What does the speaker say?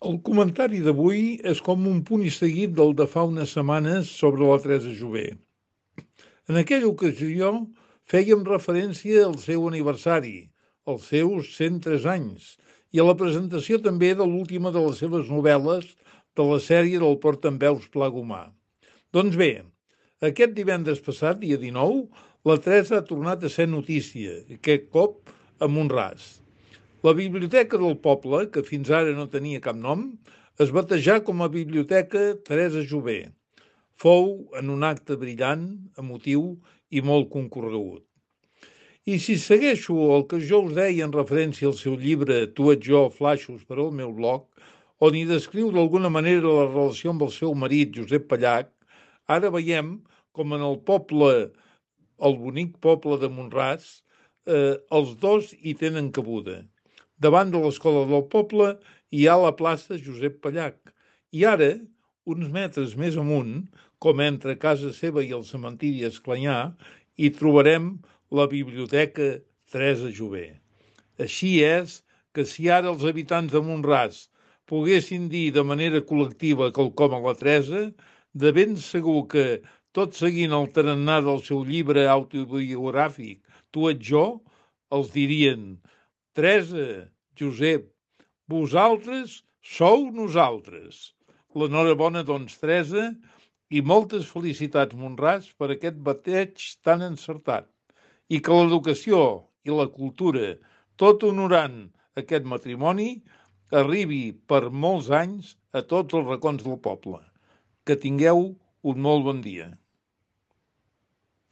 El comentari d'avui és com un punt i seguit del de fa unes setmanes sobre la Teresa Jové. En aquella ocasió fèiem referència al seu aniversari, als seus 103 anys, i a la presentació també de l'última de les seves novel·les de la sèrie del Portaveus Plagomar. Doncs bé, aquest divendres passat, dia 19, la Teresa ha tornat a ser notícia, aquest cop a Mont-ras. La Biblioteca del Poble, que fins ara no tenia cap nom, es batejà com a Biblioteca Teresa Jové. Fou en un acte brillant, emotiu i molt concorregut. I si segueixo el que jo us deia en referència al seu llibre Tu ets jo, flaixos per al meu blog, on hi descriu d'alguna manera la relació amb el seu marit, Josep Pallach, ara veiem com en el poble, el bonic poble de Mont-ras, els dos hi tenen cabuda. Davant de l'escola del poble hi ha la plaça Josep Pallach. I ara, uns metres més amunt, com entre casa seva i el cementiri Esclanyà, hi trobarem la Biblioteca Teresa Jové. Així és que si ara els habitants de Mont-ras poguessin dir de manera col·lectiva quelcom a la Teresa, de ben segur que, tot seguint el tarannà del seu llibre autobiogràfic Tu ets jo, els dirien: Teresa, Josep, vosaltres sou nosaltres. L'enhorabona, doncs, Teresa, i moltes felicitats, Mont-ras, per aquest bateig tan encertat. I que l'educació i la cultura, tot honorant aquest matrimoni, arribi per molts anys a tots els racons del poble. Que tingueu un molt bon dia.